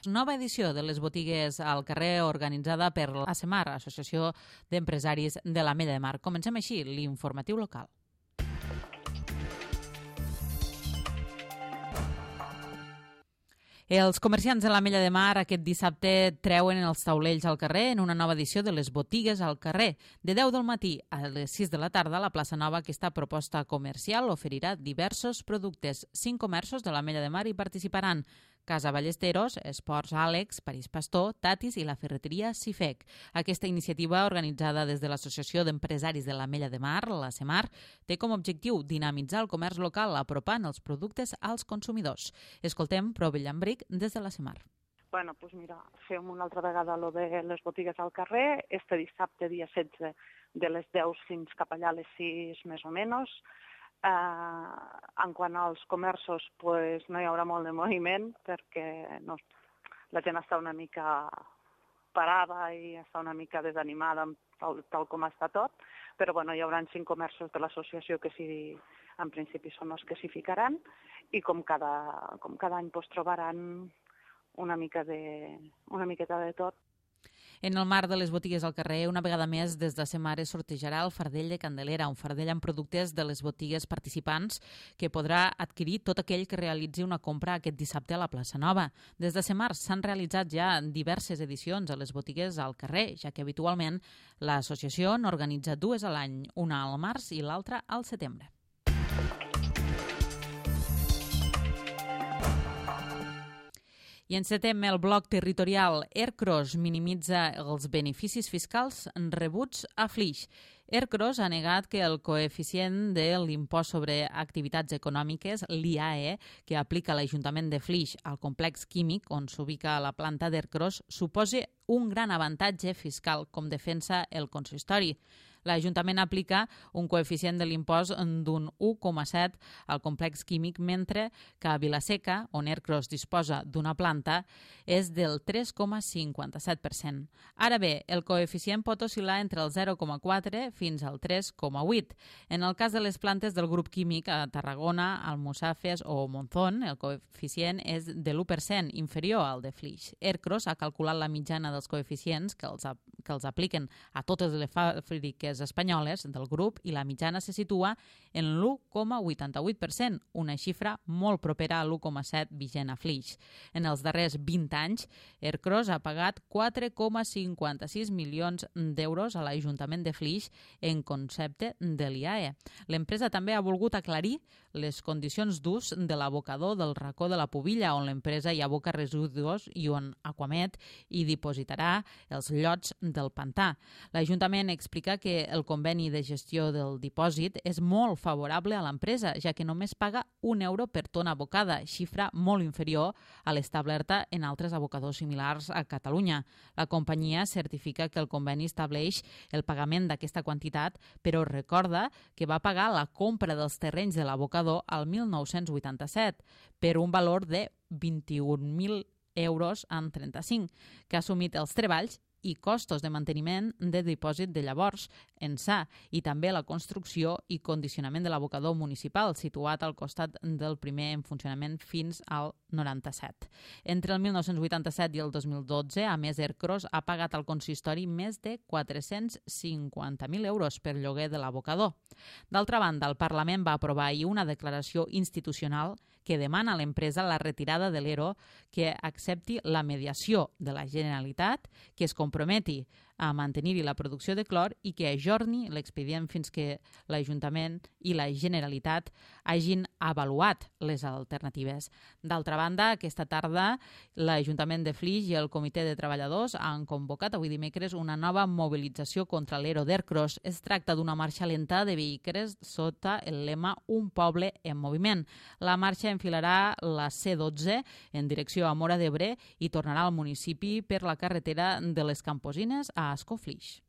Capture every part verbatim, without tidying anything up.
Nova edició de les botigues al carrer organitzada per l'ASEMAR, Associació d'Empresaris de l'Ametlla de Mar. Comencem així l'informatiu local. Els comerciants de l'Ametlla de Mar aquest dissabte treuen els taulells al carrer en una nova edició de les botigues al carrer. De deu del matí a les sis de la tarda, la plaça Nova, aquesta proposta comercial, oferirà diversos productes. Cinc comerços de l'Ametlla de Mar hi participaran: Casa Ballesteros, Esports Àlex, París Pastor, Tatis i la ferreteria Cifec. Aquesta iniciativa, organitzada des de l'Associació d'Empresaris de l'Ametlla de Mar, l'ASEMAR, té com a objectiu dinamitzar el comerç local apropant els productes als consumidors. Escoltem Prove Llambric des de l'ASEMAR. Bueno, doncs mira, fem una altra vegada lo de les botigues al carrer, este dissabte, dia setze, de les deu fins cap allà a les sis, més o menys. Uh, en quant als comerços, pues, no hi haurà molt de moviment perquè no, la gent està una mica parada i està una mica desanimada tal, tal com està tot, però bueno, hi haurà cinc comerços de l'associació que sí, en principi són els que s'hi ficaran, i com cada, com cada any pues, trobaran una mica de, una miqueta de tot. En el marc de les botigues al carrer, una vegada més, des de l'ASEMAR es sortejarà el fardell de Candelera, un fardell amb productes de les botigues participants que podrà adquirir tot aquell que realitzi una compra aquest dissabte a la plaça Nova. Des de l'ASEMAR s'han realitzat ja diverses edicions a les botigues al carrer, ja que habitualment l'associació n'organitza dues a l'any, una al març i l'altra al setembre. I encetem el bloc territorial. Ercros minimitza els beneficis fiscals rebuts a Flix. Ercros ha negat que el coeficient de l'impost sobre activitats econòmiques, l'I A E, que aplica l'Ajuntament de Flix al complex químic on s'ubica la planta d'Ercros, suposi un gran avantatge fiscal, com defensa el consistori. L'Ajuntament aplica un coeficient de l'impost d'un u coma set al complex químic, mentre que a Vilaseca, on Ercros disposa d'una planta, és del tres coma cinquanta-set per cent. Ara bé, el coeficient pot oscil·lar entre el zero coma quatre fins al tres coma vuit. En el cas de les plantes del grup químic a Tarragona, Almussafes o Monzón, el coeficient és de l'u per cent, inferior al de Flix. Ercros ha calculat la mitjana dels coeficients que els, que els apliquen a totes les fàbriques espanyoles del grup i la mitjana se situa en l'u coma vuitanta-vuit per cent, una xifra molt propera a l'u coma set vigent a Flix. En els darrers vint anys, Ercros ha pagat quatre coma cinquanta-sis milions d'euros a l'Ajuntament de Flix en concepte de l'I A E. L'empresa també ha volgut aclarir les condicions d'ús de l'abocador del racó de la Pubilla, on l'empresa hi aboca residus i on Aquamet hi dipositarà els llots del pantà. L'Ajuntament explica que el conveni de gestió del dipòsit és molt favorable a l'empresa, ja que només paga un euro per tona abocada, xifra molt inferior a l'establerta en altres abocadors similars a Catalunya. La companyia certifica que el conveni estableix el pagament d'aquesta quantitat, però recorda que va pagar la compra dels terrenys de l'abocador al mil nou-cents vuitanta-set per un valor de vint-i-un mil euros amb trenta-cinc, que ha assumit els treballs i costos de manteniment de dipòsit de llavors, ençà, i també la construcció i condicionament de l'abocador municipal, situat al costat del primer en funcionament fins al noranta-set. Entre el mil nou-cents vuitanta-set i el dos mil dotze, a més, Ercros ha pagat al consistori més de quatre-cents cinquanta mil euros per lloguer de l'abocador. D'altra banda, el Parlament va aprovar ahir una declaració institucional que demana a l'empresa la retirada de l'E R O, que accepti la mediació de la Generalitat, que es comprometi a mantenir-hi la producció de clor i que ajorni l'expedient fins que l'Ajuntament i la Generalitat hagin avaluat les alternatives. D'altra banda, aquesta tarda l'Ajuntament de Flix i el Comitè de Treballadors han convocat avui dimecres una nova mobilització contra l'E R O d'Ercros. Es tracta d'una marxa lenta de vehicles sota el lema Un poble en moviment. La marxa enfilarà la C dotze en direcció a Móra d'Ebre i tornarà al municipi per la carretera de les Camposines a Ascó Flix.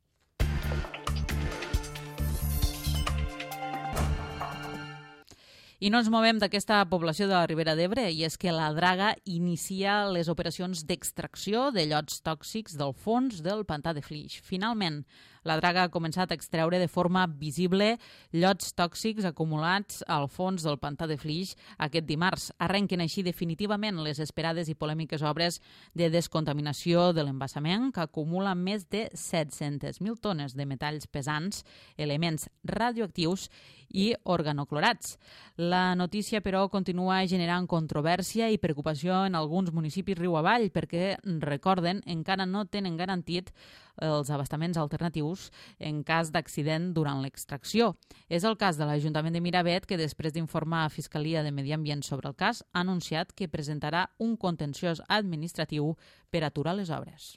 I no ens movem d'aquesta població de la Ribera d'Ebre, i és que la Draga inicia les operacions d'extracció de llots tòxics del fons del pantà de Flix. Finalment, La draga ha començat a extreure de forma visible llots tòxics acumulats al fons del pantà de Flix aquest dimarts. Arrenquen així definitivament les esperades i polèmiques obres de descontaminació de l'embassament, que acumula més de set-centes mil tones de metalls pesants, elements radioactius i organoclorats. La notícia, però, continua generant controvèrsia i preocupació en alguns municipis riu avall perquè, recorden, encara no tenen garantit els abastaments alternatius en cas d'accident durant l'extracció. És el cas de l'Ajuntament de Miravet, que després d'informar a Fiscalia de Medi Ambient sobre el cas, ha anunciat que presentarà un contenciós administratiu per aturar les obres.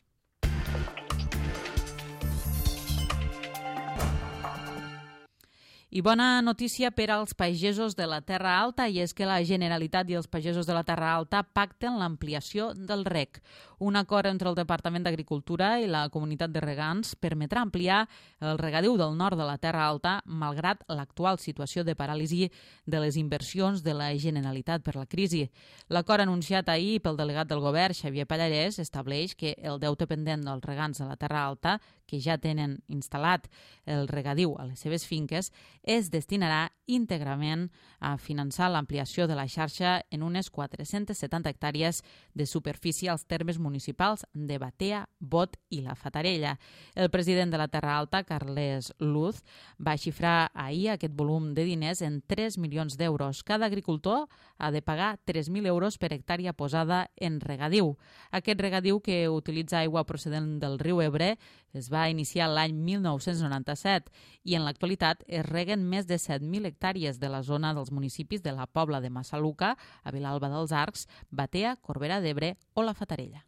I bona notícia per als pagesos de la Terra Alta, i és que la Generalitat i els pagesos de la Terra Alta pacten l'ampliació del reg. Un acord entre el Departament d'Agricultura i la comunitat de regants permetrà ampliar el regadiu del nord de la Terra Alta, malgrat l'actual situació de paràlisi de les inversions de la Generalitat per la crisi. L'acord anunciat ahir pel delegat del govern, Xavier Pallarès, estableix que el deute pendent dels regants de la Terra Alta, que ja tenen instal·lat el regadiu a les seves finques, es destinarà íntegrament a finançar l'ampliació de la xarxa en unes quatre-centes setanta hectàrees de superfície als termes municipals de Batea, Bot i la Fatarella. El president de la Terra Alta, Carles Luz, va xifrar ahir aquest volum de diners en tres milions d'euros. Cada agricultor ha de pagar tres mil euros per hectàrea posada en regadiu. Aquest regadiu, que utilitza aigua procedent del riu Ebre, es va iniciar l'any mil nou-cents noranta-set i en l'actualitat es reguen més de set mil hectàrees de la zona dels municipis de la Pobla de Massaluca, a Vilalba dels Arcs, Batea, Corbera d'Ebre o la Fatarella.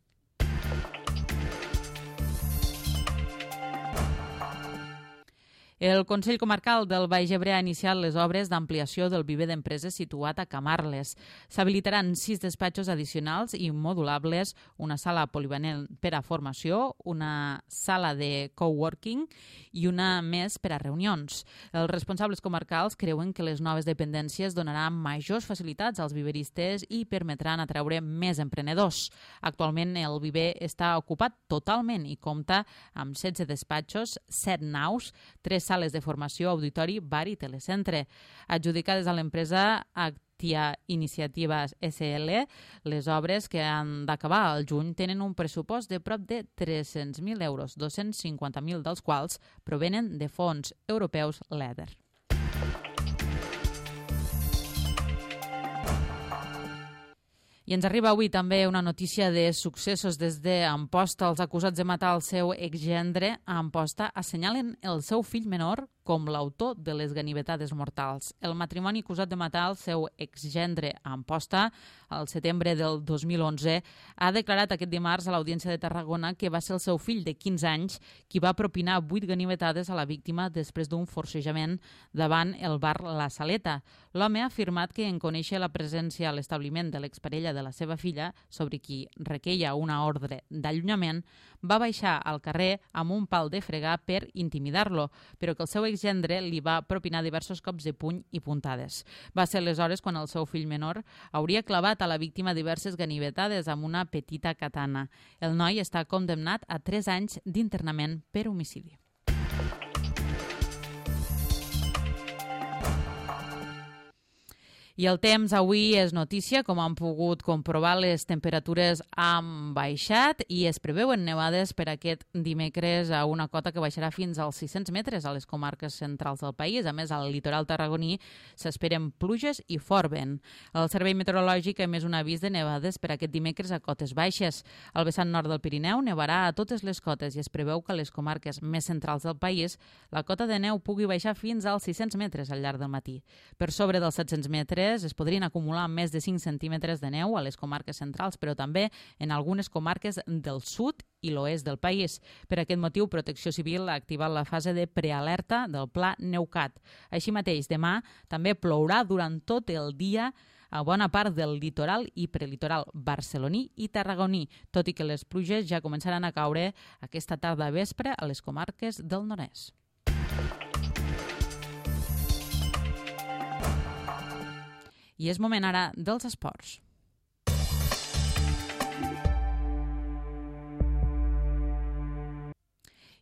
El Consell Comarcal del Baix Ebre ha iniciat les obres d'ampliació del viver d'empreses situat a Camarles. S'habilitaran sis despatxos addicionals i modulables, una sala polivalent per a formació, una sala de coworking i una més per a reunions. Els responsables comarcals creuen que les noves dependències donaran majors facilitats als viveristes i permetran atraure més emprenedors. Actualment el viver està ocupat totalment i compta amb setze despatxos, set naus, tres sales de formació, auditori, bar i telecentre. Adjudicades a l'empresa Actia Iniciatives S L, les obres, que han d'acabar al juny, tenen un pressupost de prop de tres-cents mil euros, dos-cents cinquanta mil dels quals provenen de fons europeus L E A D E R. I ens arriba avui també una notícia de successos des d'Amposta. Els acusats de matar el seu exgendre a Amposta assenyalen el seu fill menor com l'autor de les ganivetades mortals. El matrimoni acusat de matar el seu exgendre a Amposta al setembre del dos mil onze ha declarat aquest dimarts a l'Audiència de Tarragona que va ser el seu fill de quinze anys qui va propinar vuit ganivetades a la víctima després d'un forcejament davant el bar La Saleta. L'home ha afirmat que en conèixer la presència a l'establiment de l'exparella de la seva filla, sobre qui requeia una ordre d'allunyament, va baixar al carrer amb un pal de fregar per intimidar-lo, però que el seu exgendre li va propinar diversos cops de puny i puntades. Va ser aleshores quan el seu fill menor hauria clavat a la víctima diverses ganivetades amb una petita katana. El noi està condemnat a tres anys d'internament per homicidi. I el temps avui és notícia. Com han pogut comprovar, les temperatures han baixat i es preveuen nevades per aquest dimecres a una cota que baixarà fins als sis-cents metres a les comarques centrals del país. A més, al litoral tarragoní s'esperen pluges i fort vent. El Servei Meteorològic ha emès un avís de nevades per aquest dimecres a cotes baixes. Al vessant nord del Pirineu nevarà a totes les cotes i es preveu que a les comarques més centrals del país la cota de neu pugui baixar fins als sis-cents metres al llarg del matí. Per sobre dels set-cents metres es podrien acumular més de cinc centímetres de neu a les comarques centrals, però també en algunes comarques del sud i l'oest del país. Per aquest motiu, Protecció Civil ha activat la fase de prealerta del Pla Neucat. Així mateix, demà també plourà durant tot el dia a bona part del litoral i prelitoral barceloní i tarragoní, tot i que les pluges ja començaran a caure aquesta tarda vespre a les comarques del nord-est. I és moment ara dels esports.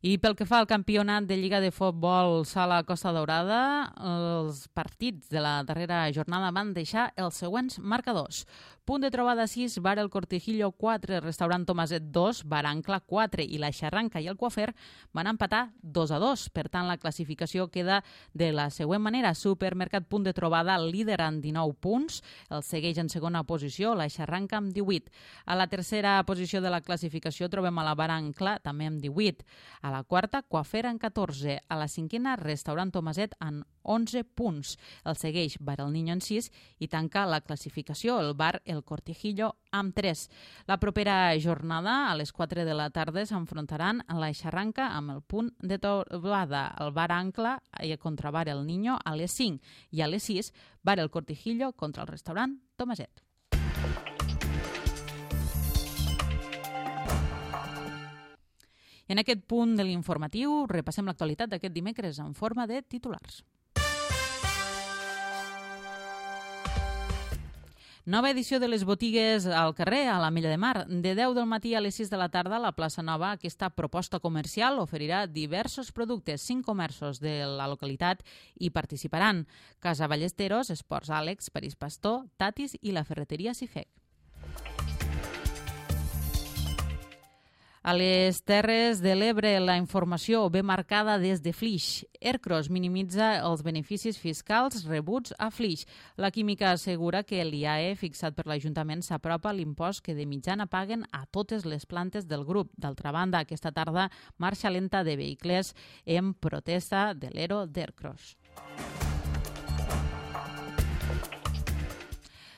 I pel que fa al campionat de Lliga de Futbol Sala Costa Daurada, els partits de la darrera jornada van deixar els següents marcadors. Punt de trobada sis, Bar El Cortijillo quatre, Restaurant Tomaset dos, Bar Ancla quatre i la Xarranca i el Coafer van empatar dos a dos. Per tant, la classificació queda de la següent manera. Supermercat Punt de Trobada líder amb dinou punts, el segueix en segona posició la Xarranca amb divuit. A la tercera posició de la classificació trobem a la Bar Ancla també amb divuit. A la quarta, Coafer amb catorze. A la cinquena, Restaurant Tomaset amb onze punts. El segueix Bar El Niño en sis i tanca la classificació el Bar El Cortijillo amb tres. La propera jornada, a les quatre de la tarda, s'enfrontaran a la Xarranca amb el Punt de Trobada, el Bar Ancla contra Bar El Niño a les cinc i a les sis, Bar El Cortijillo contra el Restaurant Tomaset. I en aquest punt de l'informatiu repassem l'actualitat d'aquest dimecres en forma de titulars. Nova edició de les botigues al carrer, a l'Ametlla de Mar. De deu del matí a les sis de la tarda, a la plaça Nova, aquesta proposta comercial oferirà diversos productes. Cinc comerços de la localitat hi participaran. Casa Ballesteros, Esports Àlex, París Pastor, Tatis i la ferreteria Cifec. A les Terres de l'Ebre, la informació ve marcada des de Flix. Ercros minimitza els beneficis fiscals rebuts a Flix. La Química assegura que l'I A E fixat per l'Ajuntament s'apropa a l'impost que de mitjana paguen a totes les plantes del grup. D'altra banda, aquesta tarda, marxa lenta de vehicles en protesta de l'Ero d'Ercros.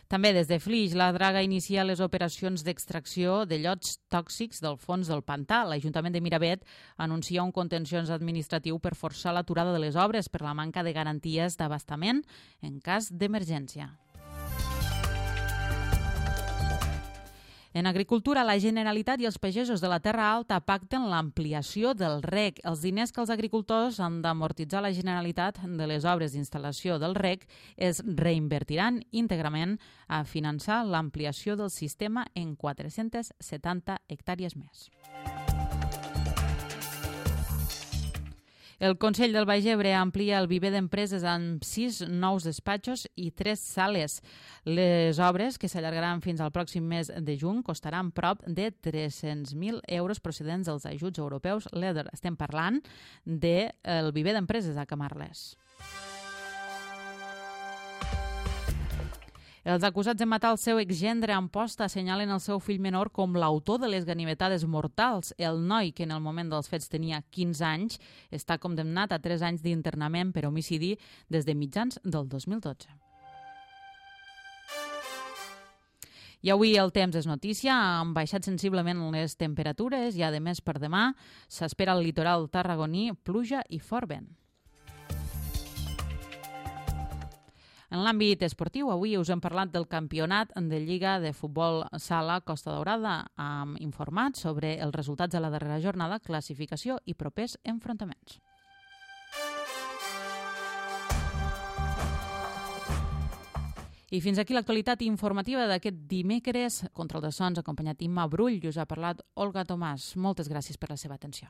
També des de Flix, la Draga inicia les operacions d'extracció de llots tòxics del fons del pantà. L'Ajuntament de Miravet anuncia un contenciós administratiu per forçar l'aturada de les obres per la manca de garanties d'abastament en cas d'emergència. En agricultura, la Generalitat i els pagesos de la Terra Alta pacten l'ampliació del reg. Els diners que els agricultors han d'amortitzar la Generalitat de les obres d'instal·lació del reg es reinvertiran íntegrament a finançar l'ampliació del sistema en quatre-centes setanta hectàrees més. El Consell del Baix Ebre amplia el viver d'empreses amb sis nous despatxos i tres sales. Les obres, que s'allargaran fins al pròxim mes de juny, costaran prop de tres-cents mil euros procedents dels ajuts europeus L E A D E R. Estem parlant del viver d'empreses a Camarles. Els acusats de matar el seu exgendre a Amposta assenyalen el seu fill menor com l'autor de les ganivetades mortals. El noi, que en el moment dels fets tenia quinze anys, està condemnat a tres anys d'internament per homicidi des de mitjans del dos mil dotze. I avui el temps és notícia, han baixat sensiblement les temperatures i, a més, per demà s'espera al litoral tarragoní pluja i fort vent. En l'àmbit esportiu, avui us hem parlat del campionat de Lliga de Futbol Sala Costa Daurada. Hem informat sobre els resultats de la darrera jornada, classificació i propers enfrontaments. I fins aquí l'actualitat informativa d'aquest dimecres. Control de sons, acompanyat Imma Brull, i us ha parlat Olga Tomàs. Moltes gràcies per la seva atenció.